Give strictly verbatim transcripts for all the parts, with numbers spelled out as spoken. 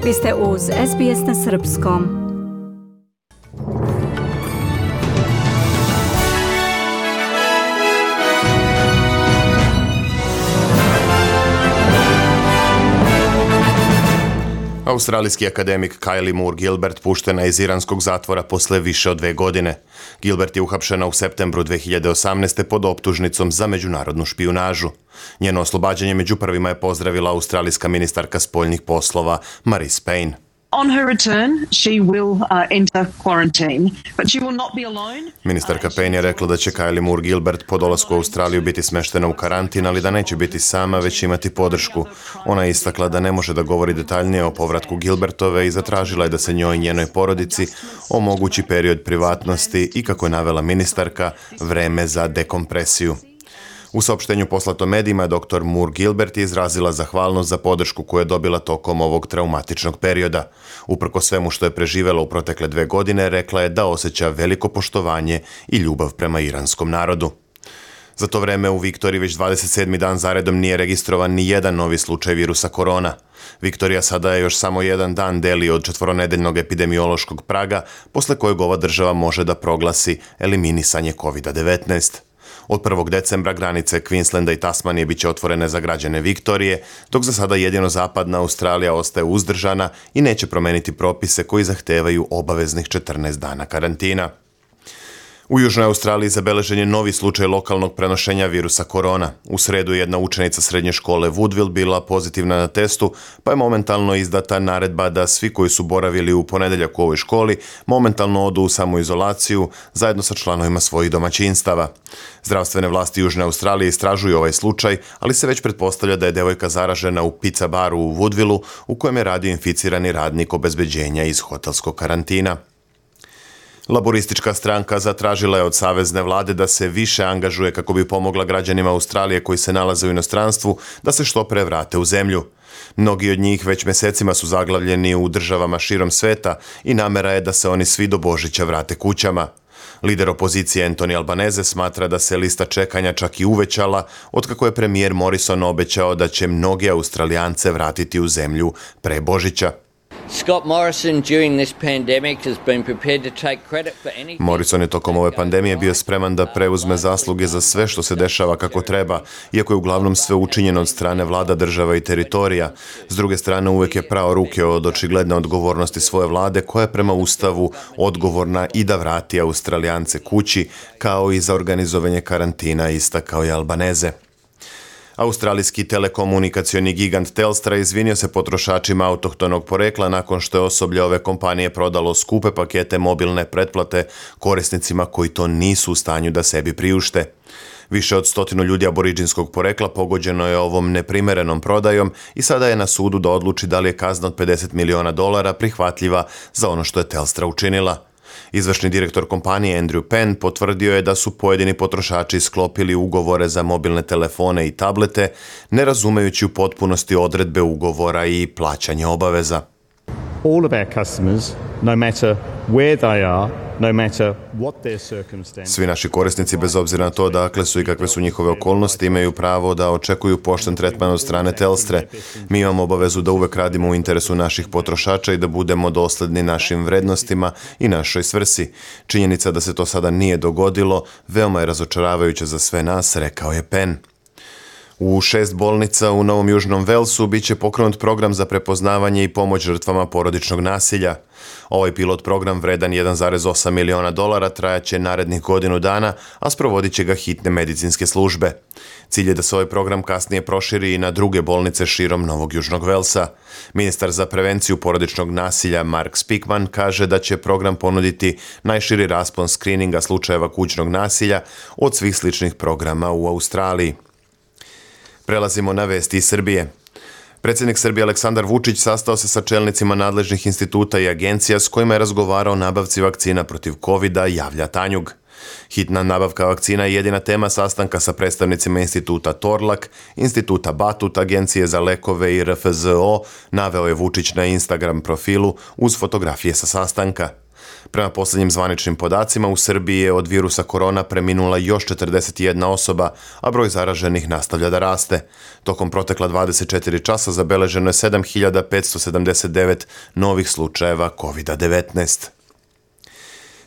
Vi ste uz S B S na srpskom. Australijski akademik Kylie Moore Gilbert puštena je iz iranskog zatvora posle više od dve godine. Gilbert je uhapšena u septembru dve hiljade osamnaeste. pod optužnicom za međunarodnu špijunažu. Njeno oslobađanje među prvima je pozdravila australijska ministarka spoljnih poslova Marise Payne. On her return, she will uh, enter quarantine, but she will not be alone. Ministarka Payne je rekla da će Kylie Moore Gilbert po dolasku u Australiju biti smeštena u karantin, ali da neće biti sama, već imati podršku. Ona je istakla da ne može da govori detaljnije o povratku Gilbertove i zatražila je da se njoj i njenoj porodici omogući period privatnosti i, kako je navela ministarka, vreme za dekompresiju. U saopštenju poslato medijima, doktor Moore Gilbert je izrazila zahvalnost za podršku koju je dobila tokom ovog traumatičnog perioda. Uprko svemu što je preživela u protekle dve godine, rekla je da osjeća veliko poštovanje i ljubav prema iranskom narodu. Za to vreme u Viktoriji već dvadeset sedmi dan zaredom nije registrovan ni jedan novi slučaj virusa korona. Viktorija sada je još samo jedan dan deli od četvoronedeljnog epidemiološkog praga, posle kojeg ova država može da proglasi eliminisanje kovid devetnaest. Od prvog decembra granice Queenslanda i Tasmanije biće otvorene za građane Viktorije, dok za sada jedino zapadna Australija ostaje uzdržana i neće promeniti propise koji zahtevaju obaveznih četrnaest dana karantina. U Južnoj Australiji zabeležen je novi slučaj lokalnog prenošenja virusa korona. U sredu je jedna učenica srednje škole Woodville bila pozitivna na testu, pa je momentalno izdata naredba da svi koji su boravili u ponedeljak u ovoj školi momentalno odu u samoizolaciju zajedno sa članovima svojih domaćinstava. Zdravstvene vlasti Južne Australije istražuju ovaj slučaj, ali se već pretpostavlja da je devojka zaražena u pizza baru u Woodvilleu u kojem je radio inficirani radnik obezbeđenja iz hotelskog karantina. Laboristička stranka zatražila je od savezne vlade da se više angažuje kako bi pomogla građanima Australije koji se nalaze u inostranstvu da se što pre vrate u zemlju. Mnogi od njih već mesecima su zaglavljeni u državama širom sveta i namera je da se oni svi do Božića vrate kućama. Lider opozicije Anthony Albanese smatra da se lista čekanja čak i uvećala otkako je premijer Morrison obećao da će mnoge Australijance vratiti u zemlju pre Božića. Scott Morrison during this pandemic has been prepared to take credit for anything. Morrison je tokom ove pandemije bio spreman da preuzme zasluge za sve što se dešava kako treba, iako je uglavnom sve učinjeno od strane vlada, država i teritorija. S druge strane, uvek je prao ruke od očigledne odgovornosti svoje vlade, koja je prema Ustavu odgovorna i da vrati Australijance kući, kao i za organizovanje karantina, istakao je Albanese. Australijski telekomunikacioni gigant Telstra izvinio se potrošačima autohtonog porekla nakon što je osoblje ove kompanije prodalo skupe pakete mobilne pretplate korisnicima koji to nisu u stanju da sebi priušte. Više od stotinu ljudi aboriđinskog porekla pogođeno je ovom neprimerenom prodajom i sada je na sudu da odluči da li je kazna od pedeset miliona dolara prihvatljiva za ono što je Telstra učinila. Izvršni direktor kompanije Andrew Penn potvrdio je da su pojedini potrošači sklopili ugovore za mobilne telefone i tablete, ne razumejući u potpunosti odredbe ugovora i plaćanje obaveza. All of our customers, no matter where they are, no matter what their circumstances. Svi naši korisnici, bez obzira na to dakle su i kakve su njihove okolnosti, imaju pravo da očekuju pošten tretman od strane Telstre. Mi imamo obavezu da uvek radimo u interesu naših potrošača i da budemo dosledni našim vrednostima i našoj svrsi. Činjenica da se to sada nije dogodilo veoma je razočaravajuća za sve nas, rekao je Penn. U šest bolnica u Novom Južnom Velsu biće pokrenut program za prepoznavanje i pomoć žrtvama porodičnog nasilja. Ovaj pilot program vredan jedan zarez osam miliona dolara trajaće narednih godinu dana, a sprovodit će ga hitne medicinske službe. Cilj je da se ovaj program kasnije proširi i na druge bolnice širom Novog Južnog Velsa. Ministar za prevenciju porodičnog nasilja Mark Speakman kaže da će program ponuditi najširi raspon skrininga slučajeva kućnog nasilja od svih sličnih programa u Australiji. Prelazimo na vesti iz Srbije. Predsjednik Srbije Aleksandar Vučić sastao se sa čelnicima nadležnih instituta i agencija s kojima je razgovarao o nabavci vakcina protiv kovida, javlja Tanjug. Hitna nabavka vakcina je jedina tema sastanka sa predstavnicima instituta Torlak, instituta Batut, Agencije za lekove i R F Z O, naveo je Vučić na Instagram profilu uz fotografije sa sastanka. Prema posljednjim zvaničnim podacima, u Srbiji je od virusa korona preminula još četrdeset jedna osoba, a broj zaraženih nastavlja da raste. Tokom protekla dvadeset četiri časa zabeleženo je sedam hiljada petsto sedamdeset devet novih slučajeva kovid devetnaest.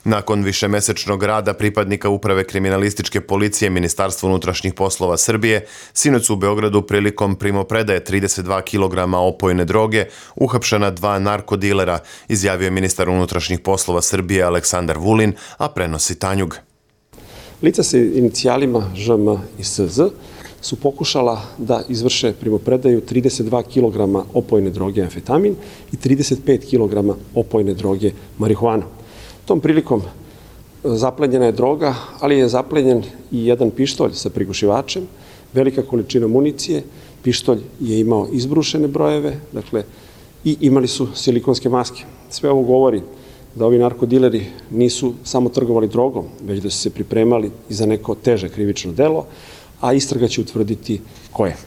Nakon višemesečnog rada pripadnika Uprave kriminalističke policije Ministarstva unutrašnjih poslova Srbije, sinoć su u Beogradu prilikom primopredaje trideset dva kilograma opojne droge uhapšena dva narkodilera, izjavio je ministar unutrašnjih poslova Srbije Aleksandar Vulin, a prenosi Tanjug. Lica sa inicijalima Ž M i S Z su pokušala da izvrše primopredaju trideset dva kilograma opojne droge amfetamin i trideset pet kilograma opojne droge marihuana. Tom prilikom zaplenjena je droga, ali je zaplenjen i jedan pištolj sa prigušivačem, velika količina municije, pištolj je imao izbrušene brojeve, dakle, i imali su silikonske maske. Sve ovo govori da ovi narkodileri nisu samo trgovali drogom, već da su se pripremali i za neko teže krivično delo, a istraga će utvrditi koje.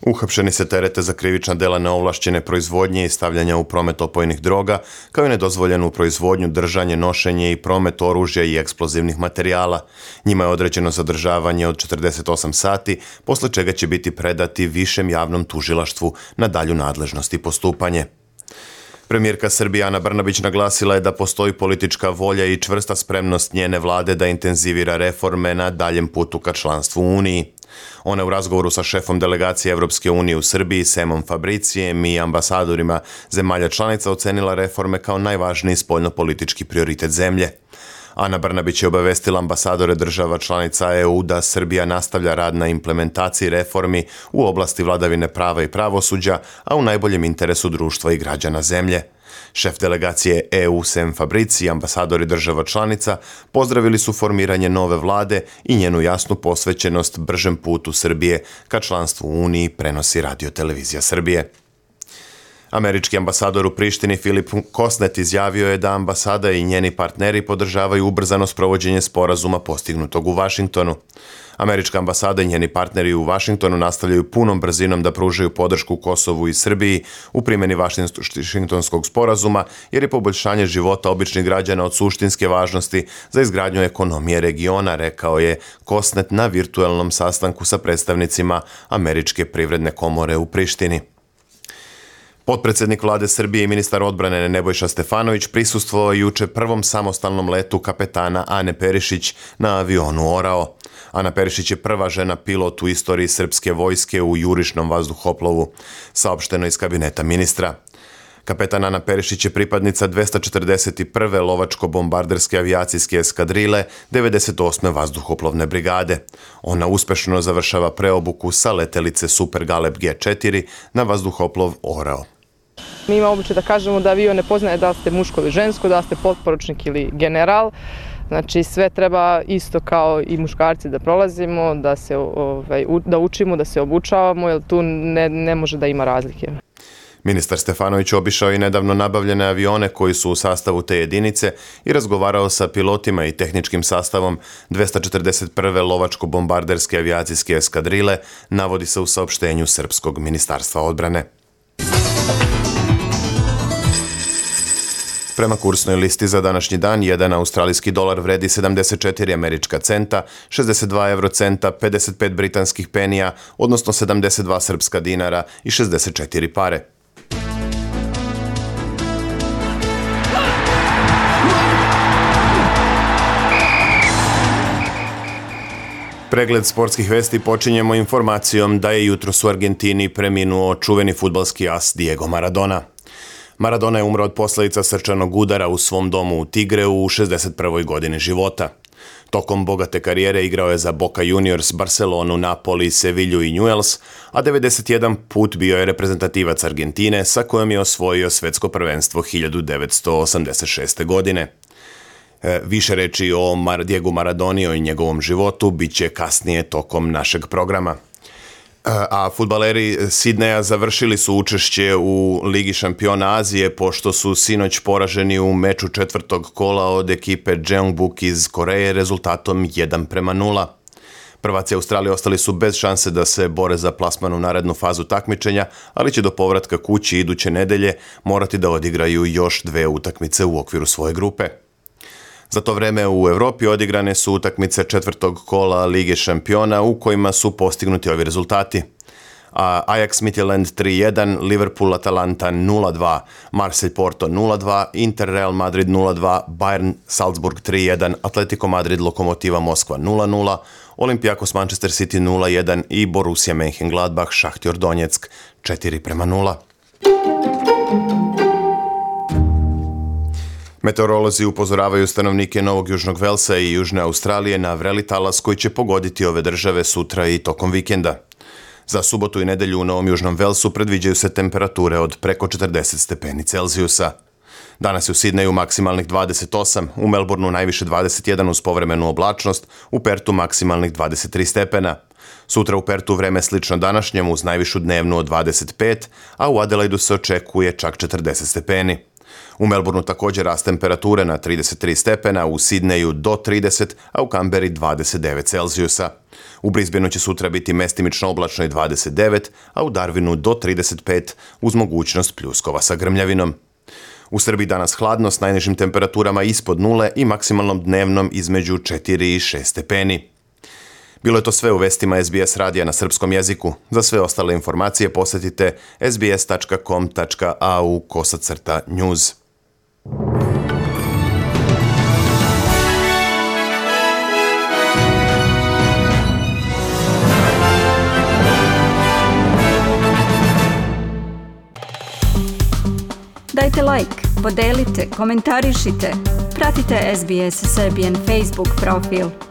Uhapšeni se terete za krivična dela neovlašćene proizvodnje i stavljanja u promet opojnih droga, kao i nedozvoljenu proizvodnju, držanje, nošenje i promet oružja i eksplozivnih materijala. Njima je određeno zadržavanje od četrdeset osam sati, posle čega će biti predati višem javnom tužilaštvu na dalju nadležnost i postupanje. Premijerka Srbije Ana Brnabić naglasila je da postoji politička volja i čvrsta spremnost njene vlade da intenzivira reforme na daljem putu ka članstvu u Uniji. Ona je u razgovoru sa šefom delegacije Evropske unije u Srbiji, Semom Fabricijem, i ambasadorima zemalja članica ocenila reforme kao najvažniji spoljnopolitički prioritet zemlje. Ana Brnabić je obavestila ambasadore država članica E U da Srbija nastavlja rad na implementaciji reformi u oblasti vladavine prava i pravosuđa, a u najboljem interesu društva i građana zemlje. Šef delegacije E U Sem Fabrici i ambasadori država članica pozdravili su formiranje nove vlade i njenu jasnu posvećenost bržem putu Srbije ka članstvu u Uniji, prenosi Radio Televizija Srbije. Američki ambasador u Prištini Filip Kosnet izjavio je da ambasada i njeni partneri podržavaju ubrzano sprovođenje sporazuma postignutog u Vašingtonu. Američka ambasada i njeni partneri u Vašingtonu nastavljaju punom brzinom da pružaju podršku Kosovu i Srbiji u primjeni Vašingtonskog sporazuma, jer je poboljšanje života običnih građana od suštinske važnosti za izgradnju ekonomije regiona, rekao je Kosnet na virtuelnom sastanku sa predstavnicima Američke privredne komore u Prištini. Potpredsjednik vlade Srbije i ministar odbrane Nebojša Stefanović prisustvovao je juče prvom samostalnom letu kapetana Ane Perišić na avionu Orao. Ana Perišić je prva žena pilot u istoriji srpske vojske u jurišnom vazduhoplovu, saopšteno iz kabineta ministra. Kapetan Ana Perišić je pripadnica dvesta četrdeset prve lovačko-bombarderske avijacijske eskadrile devedeset osme vazduhoplovne brigade. Ona uspešno završava preobuku sa letelice Super Galeb G četiri na vazduhoplov Orao. Mi imamo običaj da kažemo da avion ne poznaje da li ste muško ili žensko, da li ste potporučnik ili general. Znači sve treba isto kao i muškarci da prolazimo, da se ovaj, da učimo, da se obučavamo, jer tu ne, ne može da ima razlike. Ministar Stefanović obišao i nedavno nabavljene avione koji su u sastavu te jedinice i razgovarao sa pilotima i tehničkim sastavom dvesta četrdeset prve lovačko-bombarderske avijacijske eskadrile, navodi se u saopštenju Srpskog ministarstva odbrane. Prema kursnoj listi za današnji dan, jedan australijski dolar vredi sedamdeset četiri američka centa, šezdeset dva eurocenta, pedeset pet britanskih penija, odnosno sedamdeset dva srpska dinara i šezdeset četiri pare. Pregled sportskih vesti počinjemo informacijom da je jutros u Argentini preminuo čuveni fudbalski as Diego Maradona. Maradona je umro od posljedica srčanog udara u svom domu u Tigreu u šezdeset prvoj godini života. Tokom bogate karijere igrao je za Boca Juniors, Barcelonu, Napoli, Sevilju i Newell's, a devedeset jedan put bio je reprezentativac Argentine sa kojom je osvojio svetsko prvenstvo hiljadu devetsto osamdeset šeste. godine. E, više reči o Mar- Diegu Maradoni i njegovom životu bit će kasnije tokom našeg programa. A fudbaleri Sidneja završili su učešće u Ligi šampiona Azije pošto su sinoć poraženi u meču četvrtog kola od ekipe Jeonbuk iz Koreje rezultatom jedan prema nula. Prvaci Australije ostali su bez šanse da se bore za plasman u narednu fazu takmičenja, ali će do povratka kući iduće nedelje morati da odigraju još dve utakmice u okviru svoje grupe. Za to vreme u Evropi odigrane su utakmice četvrtog kola Lige šampiona u kojima su postignuti ovi rezultati. A Ajax Midtjylland tri jedan, Liverpool Atalanta nula dva, Marseille Porto nula dva, Inter Real Madrid nula dva, Bayern Salzburg tri jedan, Atletico Madrid Lokomotiva Moskva nula nula, Olympiakos Manchester City nula jedan i Borussia Mönchengladbach Šahtjor Donjeck četiri prema nula. Meteorolozi upozoravaju stanovnike Novog Južnog Velsa i Južne Australije na vreli talas koji će pogoditi ove države sutra i tokom vikenda. Za subotu i nedelju u Novom Južnom Velsu predviđaju se temperature od preko četrdeset stepeni Celzijusa. Danas je u Sidneju maksimalnih dvadeset osam, u Melbourneu najviše dvadeset jedan uz povremenu oblačnost, u Pertu maksimalnih dvadeset tri stepena. Sutra u Pertu vreme slično današnjem uz najvišu dnevnu od dvadeset pet, a u Adelaidu se očekuje čak četrdeset stepeni. U Melbourneu također rast temperature na trideset tri stepena, u Sidneju do trideset, a u Kamberi dvadeset devet Celzijusa. U Brisbaneu će sutra biti mestimično oblačno i dvadeset devet, a u Darwinu do trideset pet uz mogućnost pljuskova sa grmljavinom. U Srbiji danas hladno s najnižim temperaturama ispod nule i maksimalnom dnevnom između četiri i šest stepeni. Bilo je to sve u vestima S B S radija na srpskom jeziku. Za sve ostale informacije posjetite sbs tačka com tačka a u kosacrta news. Dajte like, podelite, komentarišite. Pratite S B S Serbian Facebook profil.